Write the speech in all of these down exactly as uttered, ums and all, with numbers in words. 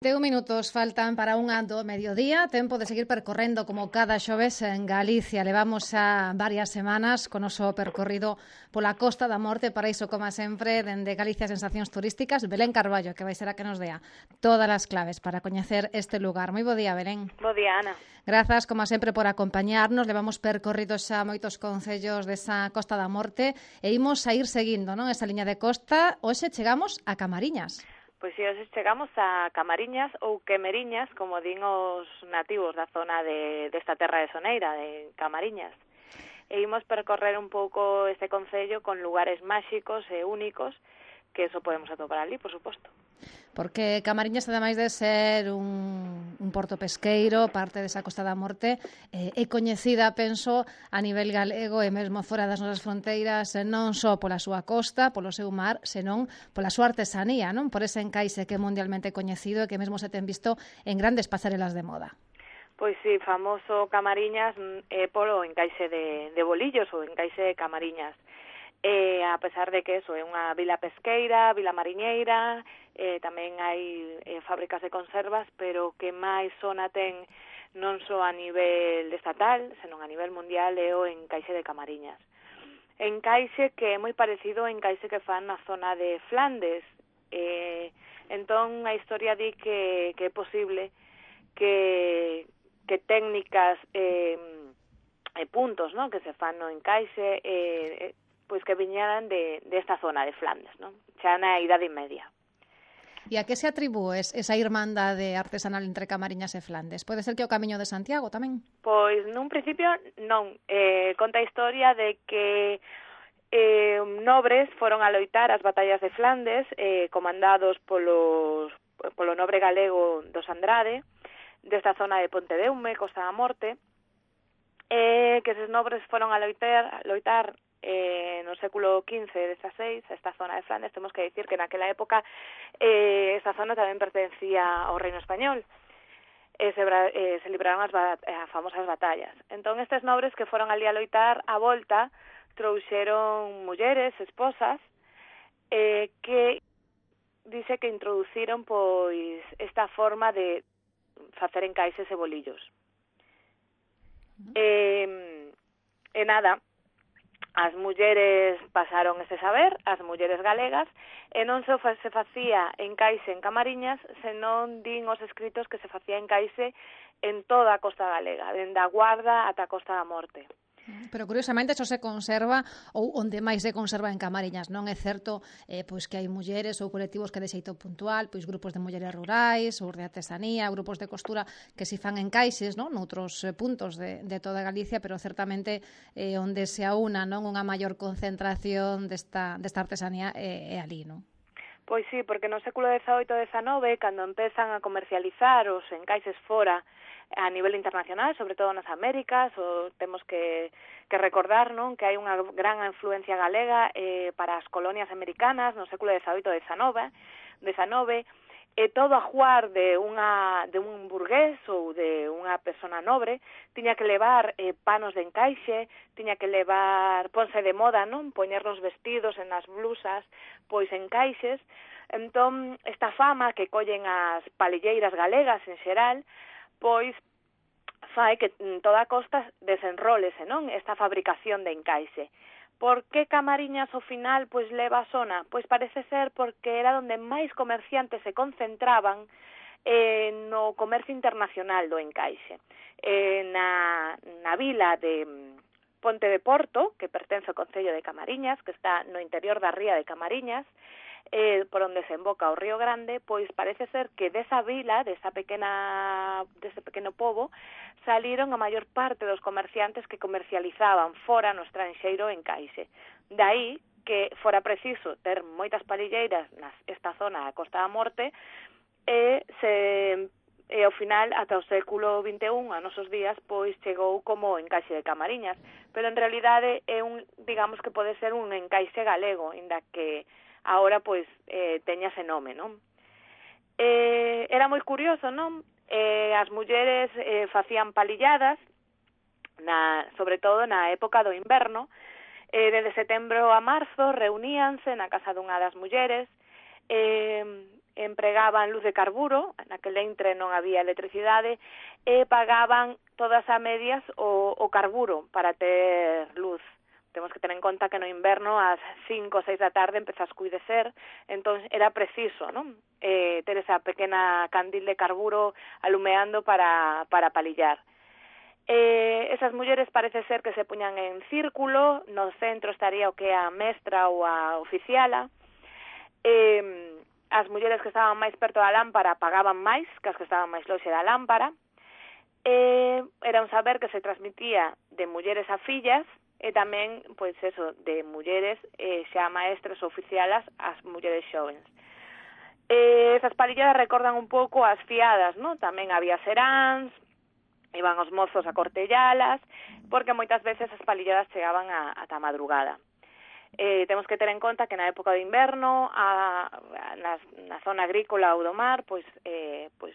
Deu minutos faltan para unha do mediodía, tempo de seguir percorrendo como cada xoves en Galicia. Levamos xa varias semanas con o noso percorrido pola Costa da Morte, para iso, como sempre, dende Galicia Sensacións Turísticas, Belén Carballo, que vai ser a que nos dea todas as claves para coñecer este lugar. Moi bo día, Belén. Bo día, Ana. Grazas, como sempre, por acompañarnos. Levamos percorrido xa moitos concellos desa Costa da Morte e imos a ir seguindo, non, esa liña de costa. Hoxe chegamos a Camariñas. Pois si, hoxe chegamos a Camariñas ou Quemeriñas, como din os nativos da zona de desta terra de Soneira, de Camariñas. E imos percorrer un pouco este concello con lugares máxicos e únicos, que eso podemos atopar ali, por suposto. Porque Camariñas, ademais de ser un, un porto pesqueiro, parte desa Costa da Morte, eh, é coñecida, penso, a nivel galego e mesmo fora das nosas fronteiras, non só pola súa costa, polo seu mar, senón pola súa artesanía, non? Por ese encaixe que é mundialmente coñecido e que mesmo se ten visto en grandes pasarelas de moda. Pois si, famoso Camariñas é polo encaixe de, de bolillos, ou encaixe de Camariñas. Eh, a pesar de que eso é unha vila pesqueira, vila mariñeira, eh, tamén hai eh, fábricas de conservas, pero que máis zona ten non só a nivel estatal, senón a nivel mundial é o encaixe de Camariñas. Encaixe que é moi parecido ao encaixe que fan na zona de Flandes. Eh, entón, a historia di que, que é posible que, que técnicas e eh, puntos, ¿no?, que se fan no encaixe eh, pois que viñeran de desta de zona de Flandes, non? Xa na Idade Media. E a que se atribúes esa irmandade artesanal entre Camariñas e Flandes? Pode ser que o Camiño de Santiago tamén? Pois nun principio non. Eh, conta a historia de que eh, nobres foron a loitar as batallas de Flandes, eh, comandados polos, polo nobre galego dos Andrade, desta zona de Pontedeume, Costa da Morte, eh, que eses nobres foron a loitar, a loitar Eh, no século quince, dezasseis, esta zona de Flandes. Temos que dicir que naquela época eh, esta zona tamén pertencía ao Reino Español. Eh, se, eh, se libraron as, as famosas batallas. Entón, estes nobres que foron ali a loitar, a volta, trouxeron mulleres, esposas, eh, que dice que introduciron pois esta forma de facer encaixes e bolillos. Eh, e nada, as mulleres pasaron ese saber, as mulleres galegas, e non se, se facía encaixe en Camariñas, senón din os escritos que se facía encaixe en toda a costa galega, dende a Guarda ata a Costa da Morte. Pero curiosamente iso se conserva, ou onde máis se conserva en Camariñas, non é certo eh, pois que hai mulleres ou colectivos que de xeito puntual, pois grupos de mulleres rurais ou de artesanía, grupos de costura que se fan encaixes, non, noutros eh, puntos de, de toda Galicia, pero certamente eh, onde se aúna, non, unha maior concentración desta, desta artesanía é, é ali, non? Pois sí, porque no século dezaoito e dezanove, cando empezan a comercializar os encaixes fora a nivel internacional, sobre todo nas Américas, o temos que, que recordar, non, que hai unha gran influencia galega eh, para as colonias americanas no século dezaoito e dezanove, dezanove, e todo a juar de unha de un burgués ou de unha persona nobre tiña que levar eh, panos de encaixe, tiña que levar, ponse de moda, non, poñer nos vestidos, en as blusas, pois encaixes. Entón, esta fama que collen as palilleiras galegas en xeral, pois fai que en toda a costa desenrólese, non, esta fabricación de encaixe. Por que Camariñas ao final pois leva a zona? Pois parece ser porque era onde máis comerciantes se concentraban eh, no comercio internacional do encaixe. Eh, na, na vila de Ponte de Porto, que pertence ao concello de Camariñas, que está no interior da ría de Camariñas, eh, por onde se emboca o Río Grande, pois parece ser que desa vila, desa pequena, dese pequeno pobo, saliron a maior parte dos comerciantes que comercializaban fora no estranxeiro encaixe. Daí que fora preciso ter moitas palilleiras nesta zona da Costa da Morte e se e ao final, ata o século vinte e un, a nosos días, pois chegou como encaixe de Camariñas, pero en realidade é un, digamos que pode ser un encaixe galego, inda que agora pois eh, teña ese nome, non? Eh, era moi curioso, non? Eh, as mulleres eh, facían palilladas, na, sobre todo na época do inverno, eh, desde setembro a marzo reuníanse na casa dunha das mulleres, eh, empregaban luz de carburo, naquele entre non había electricidade, e pagaban todas a medias o, o carburo para ter luz. Temos que ter en conta que no inverno ás cinco ou seis da tarde empeza a escuidecer, entón era preciso, non? Eh, ter esa pequena candil de carburo alumeando para, para palillar. Eh, esas mulleres parece ser que se puñan en círculo, no centro estaría o que a mestra ou a oficiala. Eh, as mulleres que estaban máis perto da lámpara pagaban máis que as que estaban máis lonxe da lámpara. Eh, era un saber que se transmitía de mulleres a fillas, e tamén, pois eso, de mulleres eh, xa maestras oficialas ás mulleres xovens. Eh, esas palilladas recordan un pouco as fiadas, non? Tamén había seráns, iban os mozos a cortellalas, porque moitas veces as palilladas chegaban a, ata a madrugada. Eh, temos que ter en conta que na época de inverno, a, a, na, na zona agrícola ou do mar, pois, eh, pois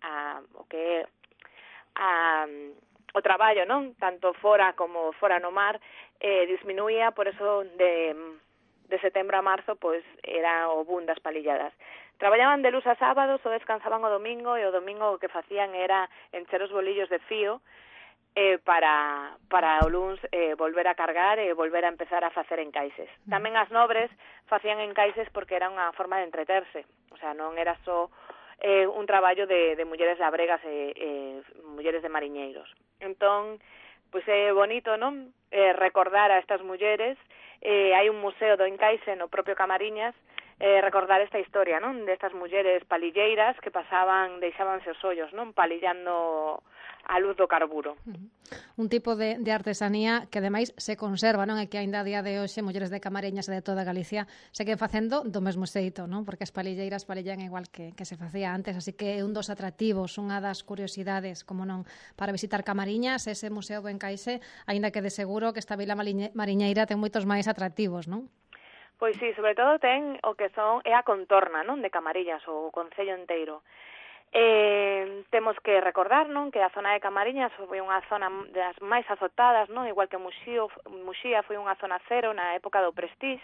a, o que é a... o traballo, non? Tanto fora como fora no mar, eh, disminuía, por eso de, de setembro a marzo, pois era o boom das palilladas. Traballaban de luz a sábados ou descansaban o domingo, e o domingo o que facían era encher os bolillos de fío eh, para, para o luns eh, volver a cargar e volver a empezar a facer encaixes. Tamén as nobres facían encaixes porque era unha forma de entreterse, o sea, non era só eh, un traballo de, de mulleres labregas e eh, mulleres de mariñeiros. Entón, pois é bonito, non? Eh, recordar a estas mulleres. Eh, hai un museo do encaixe no propio Camariñas, eh, recordar esta historia, non? Destas mulleres palilleiras que pasaban, deixábanse os ollos, non? Palillando a luz do carburo. Uh-huh. Un tipo de, de artesanía que ademais se conserva, non? E que aínda a día de hoxe mulleres de Camariñas e de toda Galicia seguen facendo do mesmo xeito, non? Porque as palilleiras palillan igual que, que se facía antes, así que é un dos atractivos, unha das curiosidades, como non, para visitar Camariñas, ese museo do encaixe, aínda que de seguro que esta vila mariñeira ten moitos máis atractivos, non? Pois sí, sobre todo ten o que son é a contorna, non, de Camariñas, o concello inteiro. Eh, temos que recordar, non, que a zona de Camariñas foi unha zona das máis azotadas, non, igual que Muxío, Muxía foi unha zona cero na época do Prestige.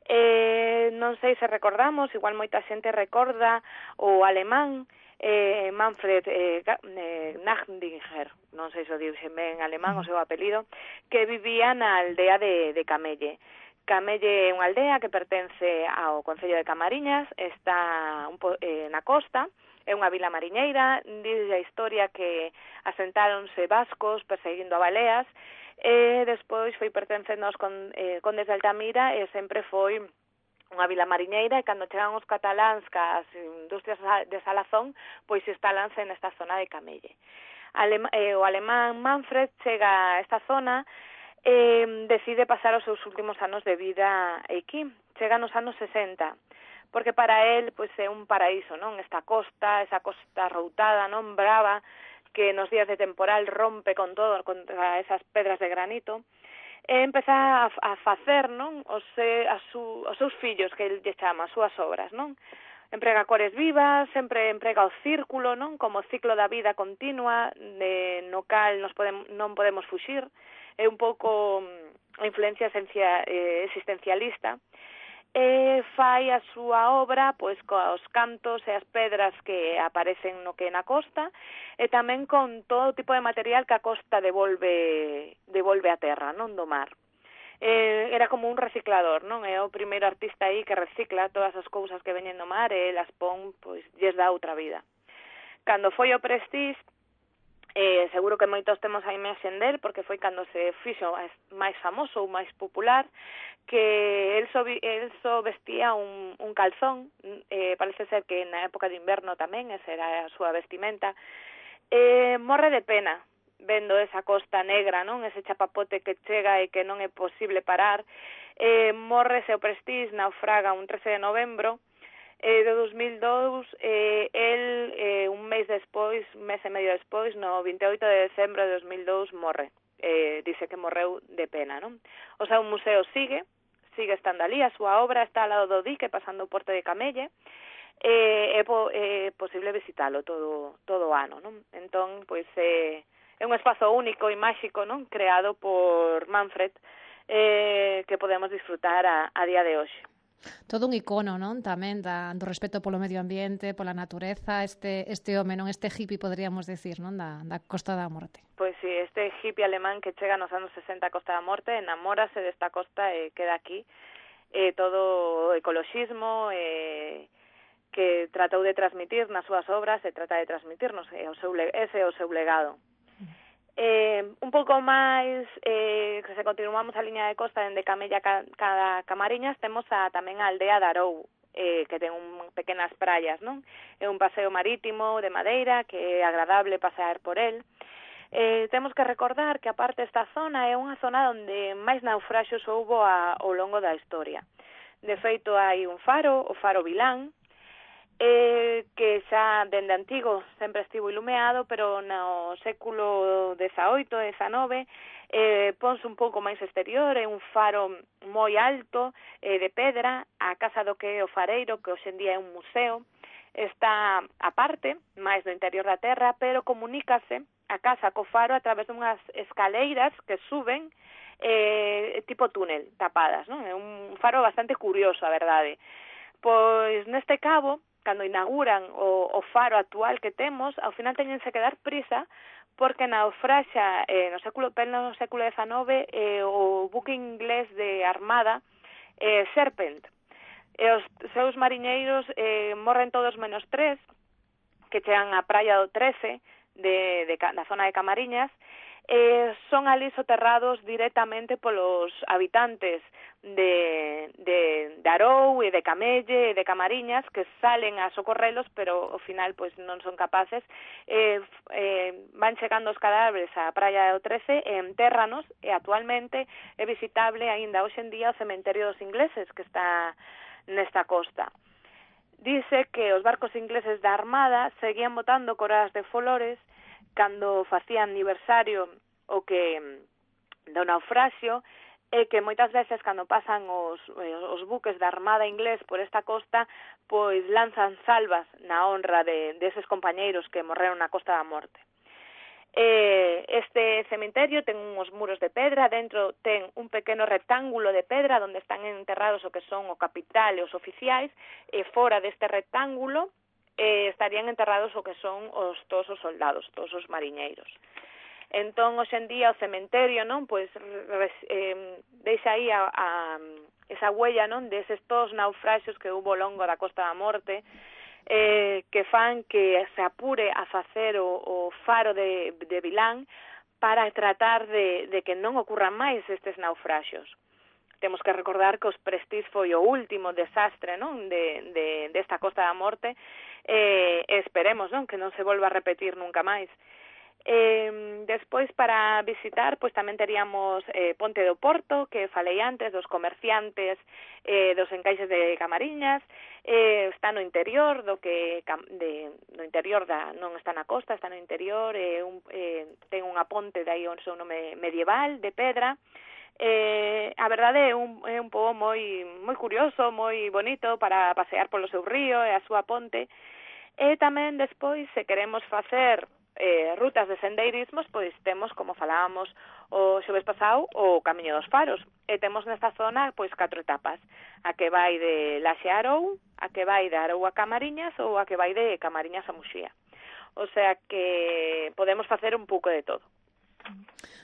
Eh, non sei se recordamos, igual moita xente recorda o alemán eh, Manfred eh, eh, Nachdinger, non sei se o dixe ben en alemán o seu apelido, que vivía na aldea de, de Camelle. Camelle é unha aldea que pertence ao concello de Camariñas, está un po, eh, na costa. É unha vila mariñeira, dice a historia que asentáronse vascos perseguindo a baleas, e despois foi pertencendo aos con, eh, condes de Altamira, e sempre foi unha vila mariñeira, e cando chegan os cataláns cas industrias de Salazón, pois instalanse nesta zona de Camelle. Alema, eh, o alemán Manfred chega a esta zona e decide pasar os seus últimos anos de vida aquí. Chega nos anos sesenta, porque para él pois é un paraíso, non? Esta costa, esa costa routada, non, brava, que nos días de temporal rompe con todo, contra esas pedras de granito, e empeza a, a facer, non, os, a su, os seus fillos, que ele lle chama, as súas obras, non? Emprega cores vivas, sempre emprega o círculo, non, como ciclo da vida continua, de, no cal nos podemos, non podemos fuxir, é un pouco a influencia esencia, eh, existencialista, e fai a súa obra pois cos cantos e as pedras que aparecen no que na costa, e tamén con todo tipo de material que a costa devolve devolve a terra, non, do mar. Eh, era como un reciclador, non? É o primeiro artista aí que recicla todas as cousas que veñen do mar e las pon, pois, lles dá outra vida. Cando foi o Prestige, Eh, seguro que moitos temos a imaxen del, porque foi cando se fixo máis famoso ou máis popular, que el só, el só vestía un, un calzón, eh, parece ser que na época de inverno tamén, esa era a súa vestimenta, eh, morre de pena, vendo esa costa negra, non, ese chapapote que chega e que non é posible parar, eh, morre se o Prestige, naufraga un trece de novembro, Eh, de dos mil dous, eh, el eh, un mes despois, un mes e medio despois, no vinte e oito de decembro de dos mil dous, morre. Eh, dice que morreu de pena, non? O sea, un museo sigue, sigue estando ali, a súa obra está ao lado do dique, pasando o porto de Camelle, eh, é po, eh, posible visitalo todo todo o ano, non? Entón, pois, eh, é un espazo único e máxico, non? Creado por Manfred, eh, que podemos disfrutar a, a día de hoxe. Todo un icono, non? Tamén da, do respeto polo medio ambiente, pola natureza, este este home, non? Este hippie, poderíamos decir, non? Da, da Costa da Morte. Pois si, sí, este hippie alemán que chega nos anos sesenta a Costa da Morte, enamórase desta costa e queda aquí. Eh, todo o ecoloxismo, eh, que tratou de transmitir nas súas obras e trata de transmitirnos, e o seu, ese é o seu legado. Eh, un pouco máis, eh, que se continuamos a liña de costa dende Camella cada Camariñas, temos a, tamén a aldea de Arou, eh, que ten un, pequenas praias, non? É un paseo marítimo de madeira que é agradable pasear por el. Eh, temos que recordar que aparte esta zona é unha zona onde máis naufraxos houbo a, ao longo da historia. De feito, hai un faro, o faro Vilán, eh, que xa dende antigo sempre estivo ilumeado, pero no século dezaoito e dezanove eh, ponse un pouco máis exterior, é un faro moi alto, eh, de pedra, a casa do que é o fareiro, que hoxe en día é un museo, está aparte, máis do interior da terra, pero comunícase a casa co faro a través dunhas escaleiras que suben eh, tipo túnel, tapadas, non? É un faro bastante curioso, a verdade. Pois neste cabo, cando inauguran o, o faro actual que temos, ao final teñense que dar prisa porque naufraxa eh, no século no século dezaove eh, o buque inglés de armada eh, Serpent. E os seus mariñeiros eh, morren todos menos tres, que chegan á praia do trece de, de, da zona de Camariñas, eh, son ali soterrados directamente polos habitantes de, de, de Arou e de Camelle e de Camariñas, que salen a socorrelos, pero ao final pois non son capaces, eh, eh, van chegando os cadáveres á praia do trece e entérranos, e actualmente é visitable aínda hoxe en día o cementerio dos ingleses que está nesta costa. Dice que os barcos ingleses da Armada seguían botando coroas de flores cando facían aniversario o que do naufraxio, e que moitas veces cando pasan os, os buques da Armada inglés por esta costa, pois lanzan salvas na honra de deses compañeiros que morreron na Costa da Morte. Eh, este cemiterio ten uns muros de pedra, dentro ten un pequeno rectángulo de pedra onde están enterrados o que son o capital e os oficiais, e fora deste rectángulo eh, estarían enterrados o que son os todos os soldados, todos os mariñeiros. Entón, hoxe en día, o cementerio, non, pois, eh, deixa aí a, a, esa huella, non, deses todos naufraxos que hubo ao longo da Costa da Morte, eh, que fan que se apure a facer o, o faro de, de Vilán para tratar de, de que non ocurran máis estes naufraxos. Temos que recordar que os Prestige foi o último desastre, non, de, de, desta Costa da Morte, e eh, esperemos, non, que non se volva a repetir nunca máis. Eh, despois, para visitar, pois tamén teríamos eh, Ponte do Porto, que falei antes, dos comerciantes eh, dos encaixes de Camariñas, eh, está no interior, do que de, no interior da, non está na costa, está no interior, eh, un, eh, ten unha ponte de aí o seu nome medieval, de pedra. Eh, a verdade é un, é un pobo moi, moi curioso, moi bonito para pasear polo seu río e a súa ponte. E tamén despois, se queremos facer eh, rutas de sendeirismos, pois temos, como falábamos o xoves pasado, o Camiño dos Faros. E temos nesta zona, pois, catro etapas. A que vai de Laxe a Arou, a que vai de Arou a Camariñas ou a que vai de Camariñas a Muxía. O sea que podemos facer un pouco de todo.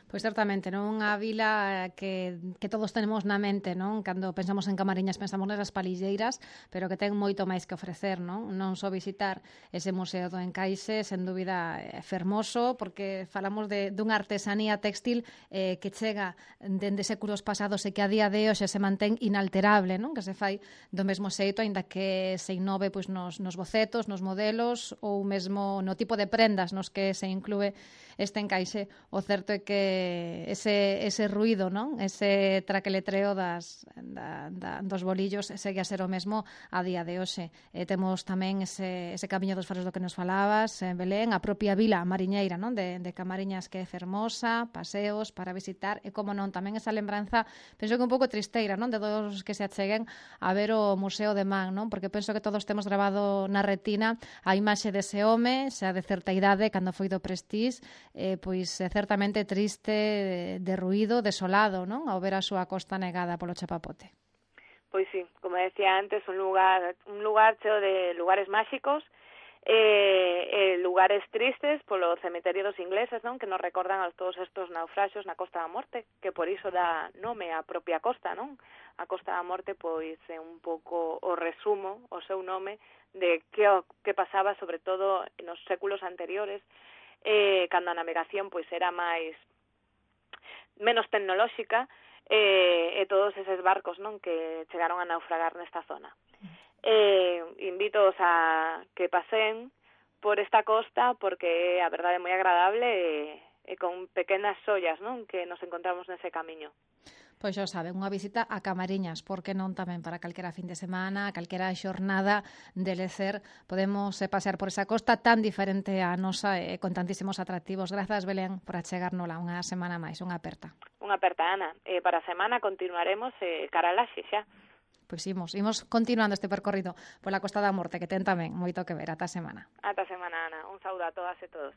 Pois certamente, non? Unha vila que, que todos tenemos na mente, non? Cando pensamos en Camariñas pensamos nesas palilleiras, pero que ten moito máis que ofrecer, non? Non só visitar ese Museo do Encaixe, sen dúbida é fermoso, porque falamos de dunha artesanía textil eh, que chega dende séculos pasados e que a día de hoxe se mantén inalterable, non? Que se fai do mesmo xeito, aínda que se innove pois, nos, nos bocetos, nos modelos ou mesmo no tipo de prendas nos que se inclúe este encaixe. O certo é que ese, ese ruido, non? Ese traqueletreo das, da, da, dos bolillos segue a ser o mesmo a día de hoxe. E temos tamén ese, ese Camiño dos Faros do que nos falabas, en Belén, a propia vila mariñeira, non? De, de Camariñas, que é fermosa, paseos para visitar, e como non, tamén esa lembranza, penso que un pouco tristeira, non? De todos os que se acheguen a ver o Museo de Man, non? Porque penso que todos temos grabado na retina a imaxe dese home, xa de certa idade, cando foi do Prestige, eh, pois é certamente triste, derruído, desolado, non? Ao ver a súa costa negada polo chapapote. Pois sí, como decía antes, un lugar un lugar cheo de lugares máxicos, eh, eh, lugares tristes polo cemiterio dos ingleses, non? Que nos recordan a todos estos naufraxos na Costa da Morte, que por iso dá nome á propia costa, non? A Costa da Morte, pois, é un pouco o resumo, o seu nome, de que, que pasaba, sobre todo, nos séculos anteriores, eh, cando a navegación, pois, era máis menos tecnolóxica, eh, e todos eses barcos, non, que chegaron a naufragar nesta zona. Eh, invítoos a que pasen por esta costa porque a verdade é moi agradable e, e con pequenas sollas, non, que nos encontramos nese camiño. Pois xa saben, unha visita a Camariñas, porque non tamén para calquera fin de semana, calquera xornada de lecer, podemos eh, pasear por esa costa tan diferente a nosa e eh, con tantísimos atractivos. Grazas, Belén, por achegárnola unha semana máis, unha aperta. Unha aperta, Ana. Eh, para a semana continuaremos eh, cara a Laxe xa. Pois imos, imos continuando este percorrido pola Costa da Morte, que ten tamén moito que ver. Ata a semana. Ata a semana, Ana. Un saúdo a todas e todos.